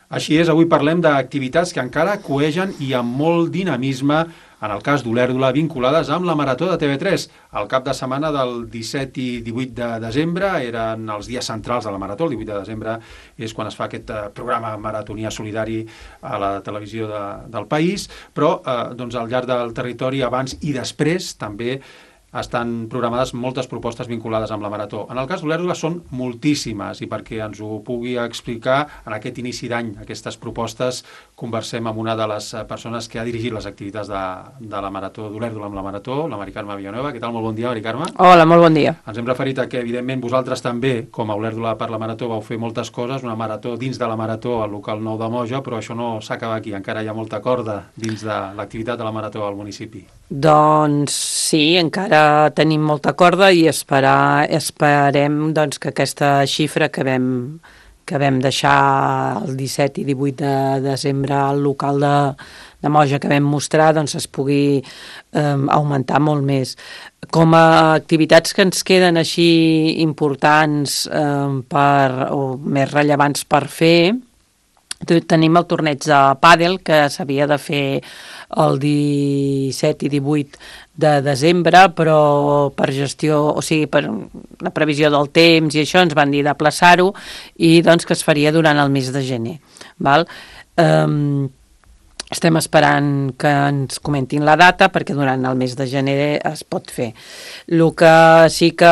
Així és, avui parlem d'activitats que encara coegen i amb molt dinamisme, en el cas d'Olèrdola, vinculades amb la Marató de TV3. El cap de setmana del 17 i 18 de desembre eren els dies centrals de la Marató. El 18 de desembre és quan es fa aquest programa maratonià solidari a la televisió del país, però doncs, al llarg del territori, abans i després, també estan programades moltes propostes vinculades amb la Marató. En el cas d'Olèrdola són moltíssimes, i perquè ens ho pugui explicar en aquest inici d'any, aquestes propostes, conversem amb una de les persones que ha dirigit les activitats de la Marató d'Olèrdola amb la Marató, la Mari Carme Villanueva. Què tal? Molt bon dia, Mari Carme. Hola, molt bon dia. Ens hem referit a que, evidentment, vosaltres també, com a Olèrdola per la Marató, vau fer moltes coses, una marató dins de la Marató al local nou de Moja, però això no s'acaba aquí, encara hi ha molta corda dins de l'activitat de la Marató al municipi. Doncs sí, encara tenim molta corda i esperem doncs, que aquesta xifra que vam deixar el 17 i 18 de desembre al local de Moja que vam mostrar doncs, es pugui augmentar molt més. Com a activitats que ens queden així importants o més rellevants per fer, tenim el torneig de pàdel que s'havia de fer el 17 i 18 de desembre, però per gestió, o sigui, per la previsió del temps i això ens van dir d'aplaçar-ho i doncs que es faria durant el mes de gener. Val? Estem esperant que ens comentin la data perquè durant el mes de gener es pot fer. El que sí que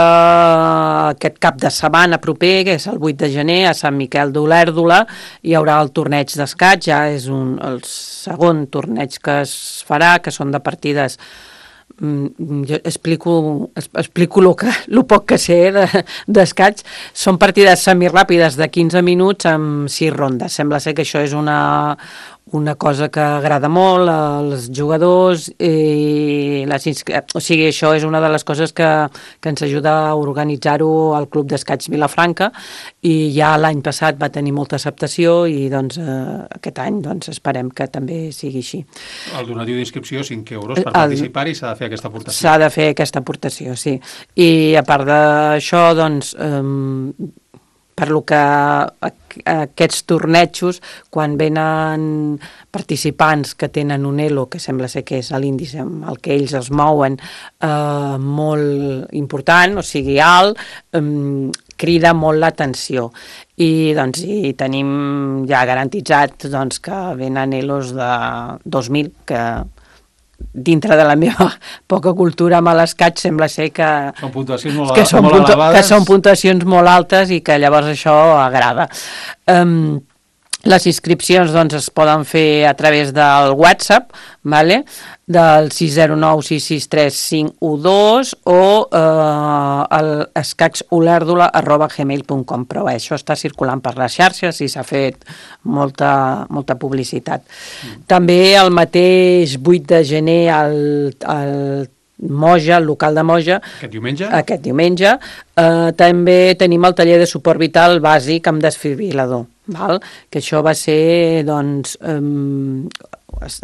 aquest cap de setmana proper, que és el 8 de gener, a Sant Miquel d'Olèrdola, hi haurà el torneig d'escaig, ja és el segon torneig que es farà, que són de partides. Jo explico el poc que sé d'escaig. Són partides semiràpides de 15 minuts amb 6 rondes. Sembla ser que això és una cosa que agrada molt als jugadors i o sigui, això és una de les coses que ens ajuda a organitzar-ho al Club d'Escaig Vilafranca, i ja l'any passat va tenir molta acceptació i doncs aquest any doncs esperem que també sigui així. El donatiu d'inscripció 5 euros per participar i s'ha de fer aquesta aportació. S'ha de fer aquesta aportació, sí. I a part d'això, doncs, per lo que aquests tornejos, quan venen participants que tenen un elo, que sembla ser que és l'índice amb el que ells es mouen, molt important, o sigui alt, crida molt l'atenció. I doncs tenim ja garantitzat doncs, que venen elos de 2.000, que dintre de la meva poca cultura amb l'escaig sembla ser que són puntuacions molt elevades. Que són puntuacions molt altes i que llavors això agrada. Les inscripcions doncs, es poden fer a través del WhatsApp, vale? Del 609-663-512 o escaigsolèrdola@gmail.com, però això està circulant per les xarxes i s'ha fet molta publicitat. També el mateix 8 de gener al Moja, el local de Moja, aquest diumenge també tenim el taller de suport vital bàsic amb desfibril·lador, val? Que això va ser doncs es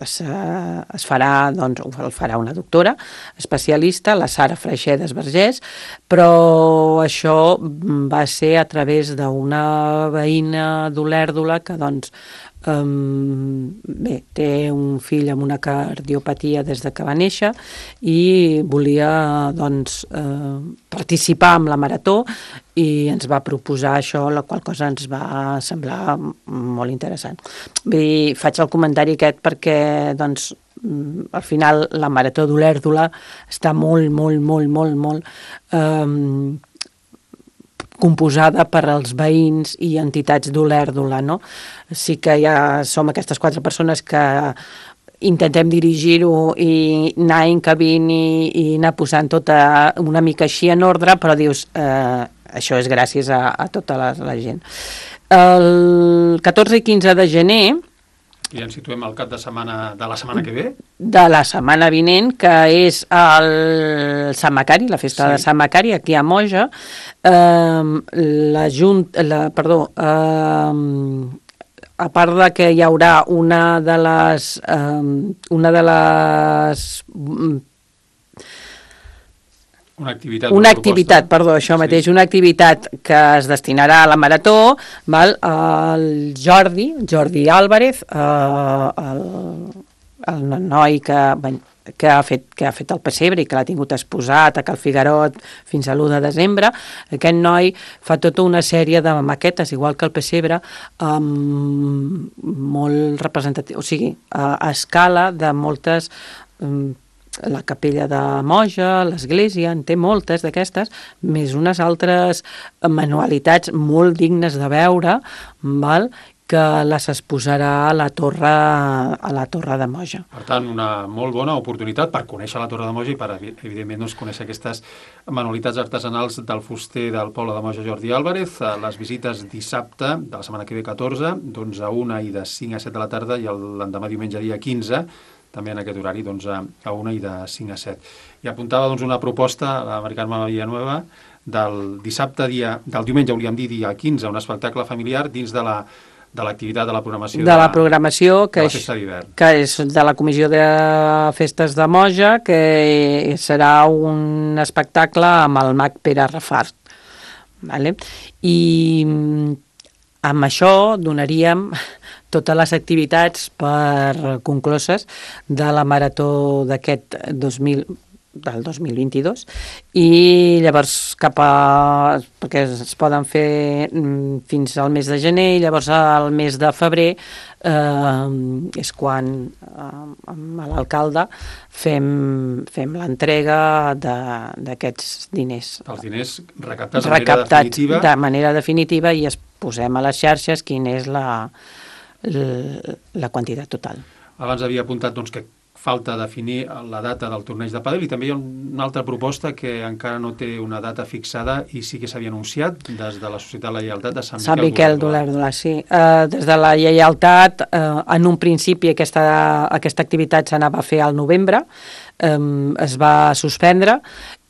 farà, doncs, el farà una doctora especialista, la Sara Freixedes Vergés, però això va ser a través d'una veïna d'Olèrdola que doncs bé, té un fill amb una cardiopatia des de que va néixer i volia doncs participar en la marató i ens va proposar això, la qual cosa ens va semblar molt interessant. Bé, faig el comentari aquest perquè doncs al final la marató d'Olèrdola està molt composada per als veïns i entitats d'Olèrdola, no? Sí que ja som aquestes 4 persones que intentem dirigir-ho i anar encabint i anar posant tota una mica així en ordre, però dius, això és gràcies a tota la gent. El 14 i 15 de gener, i ens situem al cap de setmana de la setmana que ve? De la setmana vinent, que és el Sant Macari, la festa de Sant Macari, aquí a Moja. A part de que hi haurà una de les Una activitat, perdó, això mateix, una activitat que es destinarà a la marató, val? El Jordi Álvarez, el noi que ha fet el pessebre i que l'ha tingut exposat a Cal Figuerot fins a l'1 de desembre, aquest noi fa tota una sèrie de maquetes, igual que el pessebre, molt representatiu, o sigui, a escala de moltes... la capella de Moja, l'església, en té moltes d'aquestes, més unes altres manualitats molt dignes de veure, val? Que les exposarà a la torre de Moja. Per tant, una molt bona oportunitat per conèixer la Torre de Moja i per, evidentment, doncs, conèixer aquestes manualitats artesanals del fuster del poble de Moja, Jordi Álvarez. Les visites dissabte, de la setmana que ve 14, d'11 a 1 i de 5 a 7 de la tarda, i l'endemà diumenge dia 15, també en aquest horari, doncs, a 1 i de 5 a 7. I apuntava, doncs, una proposta a la Mari Carme Villanueva del dissabte, del diumenge, volíem dir, dia 15, un espectacle familiar dins de l'activitat de la programació de la programació que de la festa d'hivern. Que és de la Comissió de Festes de Moja, que serà un espectacle amb el mag Pere Rafart. Vale? I amb això donaríem totes les activitats per concloses de la marató del 2022 i llavors perquè es poden fer fins al mes de gener i llavors al mes de febrer és quan amb l'alcalde fem l'entrega d'aquests diners. Els diners recaptats de manera definitiva i es posem a les xarxes quina és la quantitat total. Abans havia apuntat, doncs, que falta definir la data del torneig de pàdel i també hi ha una altra proposta que encara no té una data fixada i sí que s'havia anunciat des de la Societat de la Lleialtat de Sant Miquel d'Olèrdola. Sí. Des de la Lleialtat, en un principi aquesta activitat s'anava a fer al novembre, es va suspendre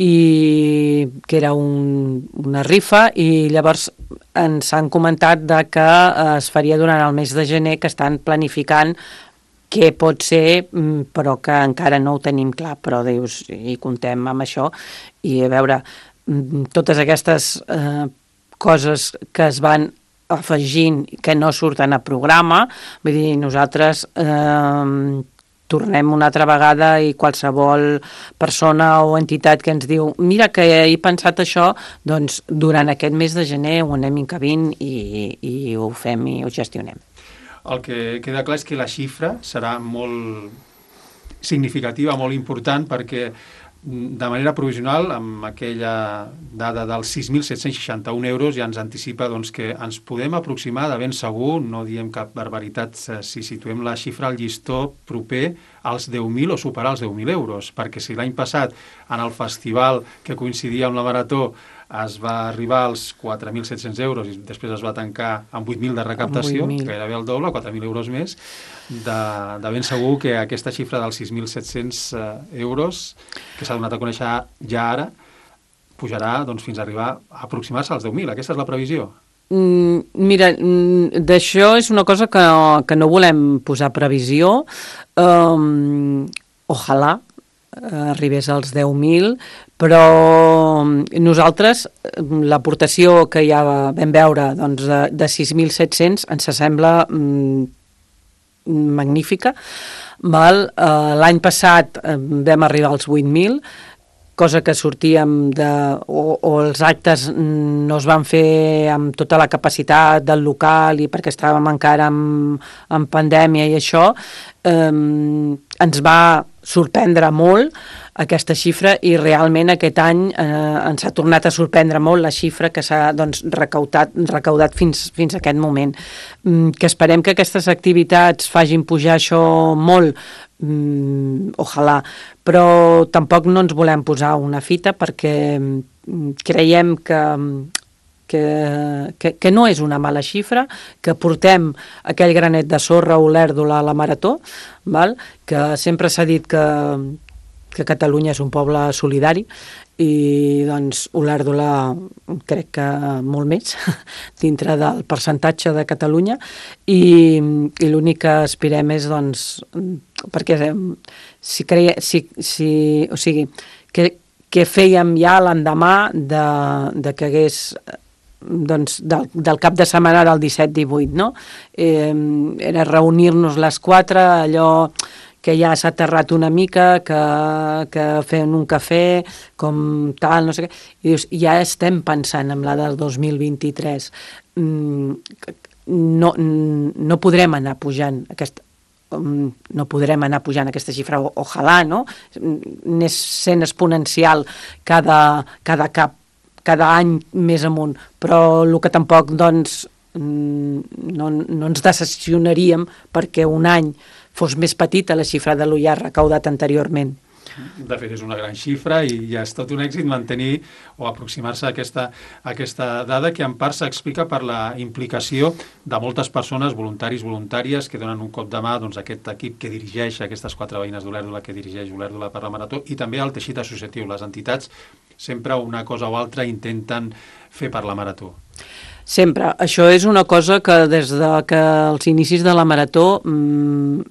i que era una rifa i llavors ens han comentat que es faria durant el mes de gener, que estan planificant què pot ser, però que encara no ho tenim clar, però dius, i contem amb això, i a veure, totes aquestes coses que es van afegint, que no surten a programa, vull dir, nosaltres tornem una altra vegada i qualsevol persona o entitat que ens diu mira que he pensat això, doncs durant aquest mes de gener ho anem encabint i ho fem i ho gestionem. El que queda clar és que la xifra serà molt significativa, molt important, perquè de manera provisional, amb aquella dada dels 6.761 euros, ja ens anticipa doncs, que ens podem aproximar de ben segur, no diem cap barbaritat si situem la xifra al llistó proper als 10.000 o superar els 10.000 euros, perquè si l'any passat en el festival que coincidia amb la marató es va arribar als 4.700 euros i després es va tancar amb 8.000 de recaptació, gairebé el doble, 4.000 euros més, de ben segur que aquesta xifra dels 6.700 euros, que s'ha donat a conèixer ja ara, pujarà doncs, fins a arribar a aproximar-se als 10.000. Aquesta és la previsió. Mira, d'això és una cosa que no volem posar previsió. Ojalà arribés als 10.000, però nosaltres l'aportació que ja vam veure doncs, de 6.700 ens sembla magnífica. L'any passat vam arribar als 8.000, cosa que sortíem o els actes no es van fer amb tota la capacitat del local i perquè estàvem encara en pandèmia i això, ens va sorprendre molt aquesta xifra i realment aquest any ens ha tornat a sorprendre molt la xifra que s'ha recaudat fins a aquest moment. Que esperem que aquestes activitats facin pujar això molt, ojalà, però tampoc no ens volem posar una fita perquè creiem que no és una mala xifra, que portem aquell granet de sorra a Olèrdola a la marató, val? Que sempre s'ha dit que Catalunya és un poble solidari i doncs Olèrdola crec que molt més dintre del percentatge de Catalunya i l'únic que aspirem és doncs perquè què fèiem ja l'endemà de que hagués doncs, del cap de setmana del 17-18, no? Era reunir-nos les 4, allò que ja s'ha aterrat una mica, que fem un cafè, com tal, no sé què, i dius, ja estem pensant en la del 2023. No podrem anar pujant aquesta xifra, ojalà, no? Anés sent exponencial cada any més amunt, però el que tampoc, doncs, no ens decepcionaríem perquè un any fos més petita la xifra de l'UIA recaudat anteriorment. De fet, és una gran xifra i ja és tot un èxit mantenir o aproximar-se a aquesta dada que en part s'explica per la implicació de moltes persones, voluntaris, voluntàries, que donen un cop de mà a aquest equip que dirigeix aquestes 4 veïnes d'Olèrdola, que dirigeix Olèrdola per la Marató, i també al teixit associatiu. Les entitats sempre una cosa o altra intenten fer per la Marató. Sempre. Això és una cosa que des de que els inicis de la Marató,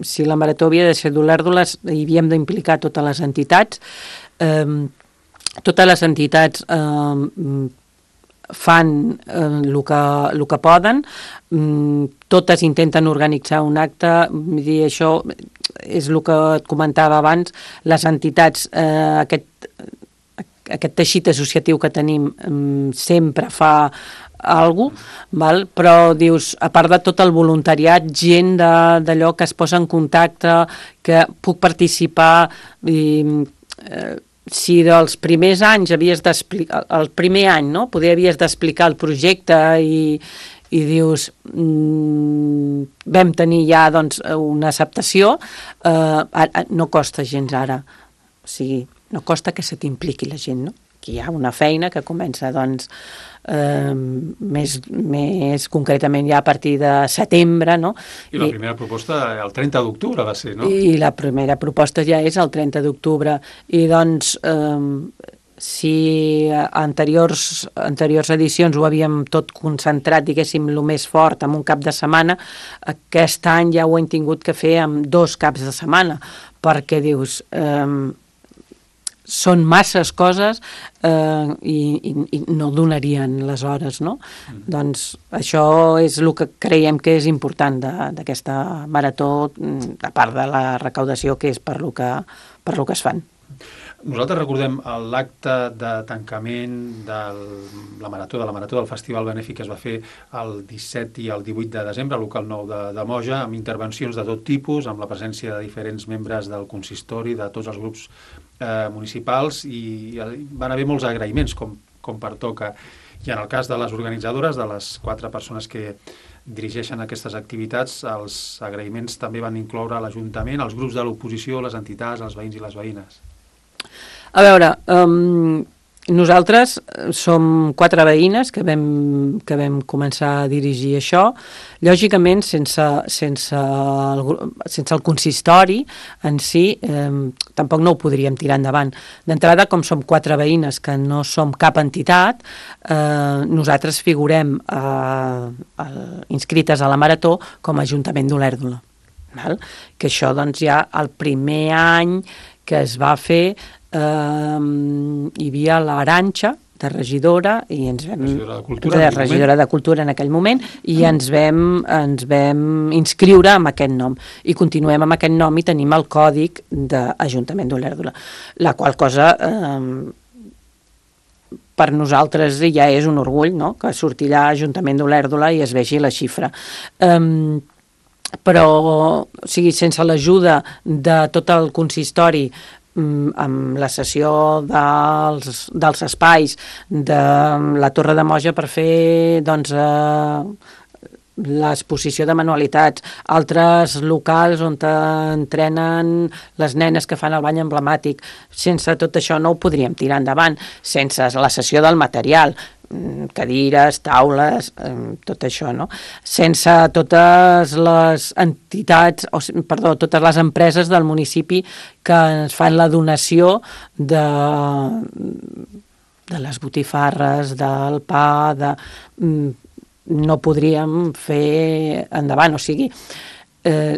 si la Marató havia de ser d'Olèrdola, hi havíem d'implicar totes les entitats. Totes les entitats fan el que poden, totes intenten organitzar un acte, vull dir, això és el que et comentava abans, les entitats, aquest teixit associatiu que tenim sempre fa alguna cosa, però dius, a part de tot el voluntariat, gent d'allò que es posa en contacte, que puc participar, si dels primers anys havies d'explicar, el primer any, no? Poder havies d'explicar el projecte i dius, vam tenir ja doncs, una acceptació, no costa gens ara, o sigui, no costa que se t'impliqui la gent, no? Que hi ha una feina que comença, doncs, més concretament ja a partir de setembre, no? I la primera proposta el 30 d'octubre va ser, no? I la primera proposta ja és el 30 d'octubre. I doncs, si anteriors edicions ho havíem tot concentrat, diguéssim, el més fort en un cap de setmana, aquest any ja ho hem tingut que fer amb 2 caps de setmana, perquè dius... són masses coses i no donarien les hores, no? Doncs això és el que creiem que és important d'aquesta marató, a part de la recaudació que és per lo que es fan. Nosaltres recordem l'acte de tancament de la marató del Festival Benèfic que es va fer el 17 i el 18 de desembre al local 9 de Moja, amb intervencions de tot tipus, amb la presència de diferents membres del consistori, de tots els grups municipals, i van haver molts agraïments, com pertoca. I en el cas de les organitzadores, de les 4 persones que dirigeixen aquestes activitats, els agraïments també van incloure l'Ajuntament, els grups de l'oposició, les entitats, els veïns i les veïnes. A veure, nosaltres som 4 veïnes que vam començar a dirigir això. Lògicament, sense el consistori en si, tampoc no ho podríem tirar endavant. D'entrada, com som 4 veïnes que no som cap entitat, nosaltres figurem inscrites a la Marató com a Ajuntament d'Olèrdola. Que això, doncs, ja el primer any que es va fer, hi havia l'Arantxa de regidora i ens vam regidora de Cultura en aquell moment, i ens vam inscriure amb aquest nom i continuem amb aquest nom i tenim el còdic d'Ajuntament d'Olèrdola, la qual cosa per nosaltres ja és un orgull, no? Que sortirà Ajuntament d'Olèrdola i es vegi la xifra. Però, o sigui, sense l'ajuda de tot el consistori, amb la cessió dels espais de la Torre de Moja per fer, doncs, l'exposició de manualitats, altres locals on entrenen les nenes que fan el bany emblemàtic. Sense tot això no ho podríem tirar endavant, sense la cessió del material, cadires, taules, tot això, no? Sense totes les entitats, totes les empreses del municipi que ens fan la donació de les botifarres, del pa, no podríem fer endavant. O sigui,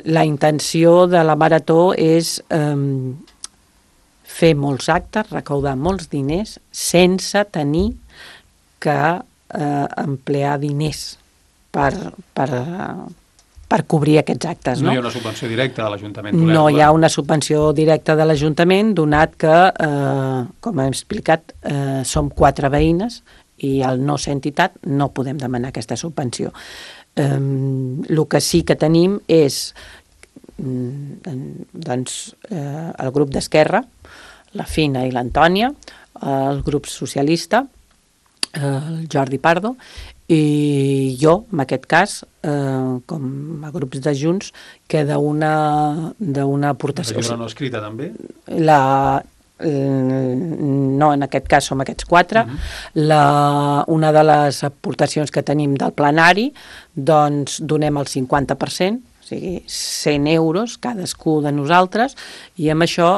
la intenció de la Marató és fer molts actes, recaudar molts diners, sense tenir que emplear diners per cobrir aquests actes. No hi ha una subvenció directa de l'Ajuntament? No hi ha una subvenció directa de l'Ajuntament, donat que, com hem explicat, som 4 veïnes i al no ser entitat no podem demanar aquesta subvenció. El que sí que tenim és el grup d'Esquerra, la Fina i l'Antònia, el grup socialista, el Jordi Pardo, i jo, en aquest cas, com a grups de Junts, que d'una aportació... La llibre no escrita, també? No, en aquest cas som aquests 4. Una de les aportacions que tenim del plenari, doncs donem el 50%, o sigui, 100 euros cadascú de nosaltres, i amb això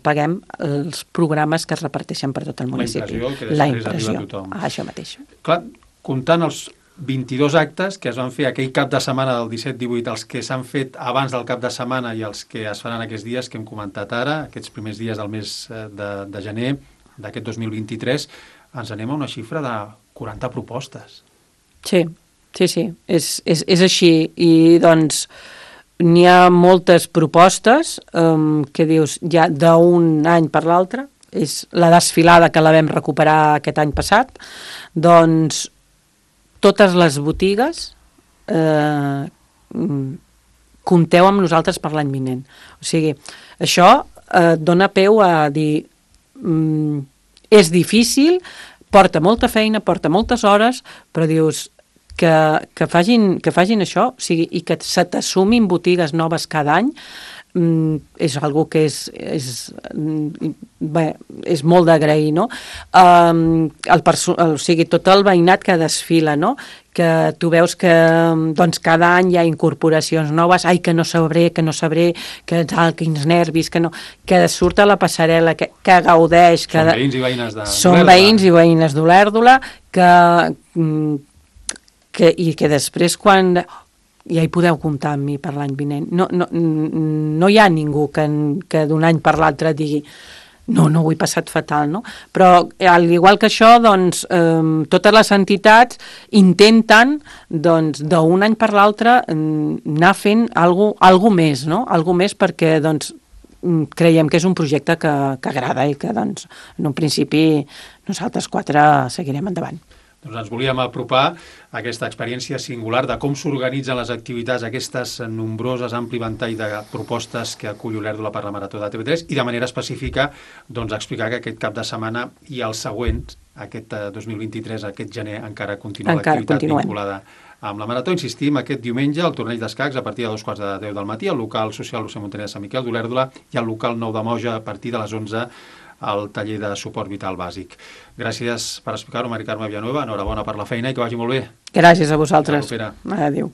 paguem els programes que es reparteixen per tot el municipi. La impressió, que després arriba a tothom. Això mateix. Clar, comptant els 22 actes que es van fer aquell cap de setmana del 17-18, els que s'han fet abans del cap de setmana i els que es faran aquests dies que hem comentat ara, aquests primers dies del mes de gener d'aquest 2023, ens anem a una xifra de 40 propostes. Sí, és així. I doncs n'hi ha moltes propostes que dius ja d'un any per l'altre. És la desfilada que la vam recuperar aquest any passat. Doncs totes les botigues compteu amb nosaltres per l'any vinent. O sigui, això dona peu a dir és difícil, porta molta feina, porta moltes hores, però dius que facin això, o sigui, i que se t'assumin botigues noves cada any, és algo que és molt d'agrair, no? O sigui, tot el veïnat que desfila, no? Que tu veus que doncs, cada any hi ha incorporacions noves, que no sabré, quins nervis, que surt a la passarel·la, que gaudeix. Són veïns i veïnes d'Olèrdola. Són veïns i veïnes d'Olèrdola i que després quan... ja hi podeu comptar amb mi per l'any vinent. No hi ha ningú que d'un any per l'altre digui no ho he passat fatal, no? Però, al igual que això, doncs, totes les entitats intenten, doncs, d'un any per l'altre anar fent alguna més, no? Alguna més perquè, doncs, creiem que és un projecte que agrada i que, doncs, en un principi nosaltres 4 seguirem endavant. Doncs ens volíem apropar a aquesta experiència singular de com s'organitzen les activitats, aquestes nombroses, ampli ventall de propostes que acull Olèrdola per la Marató de TV3 i de manera específica doncs, explicar que aquest cap de setmana i els següents, aquest 2023, aquest gener, encara continua l'activitat vinculada amb la Marató. Insistim, aquest diumenge el torneig d'escacs a partir de 2:45 del matí, al local social Lucia Montaner de Sant Miquel d'Olèrdola i al local Nou de Moja a partir de les 11 al taller de suport vital bàsic. Gràcies per explicar-ho, Mari Carme Villanueva. Enhorabona per la feina i que vagi molt bé. Gràcies a vosaltres. Adéu.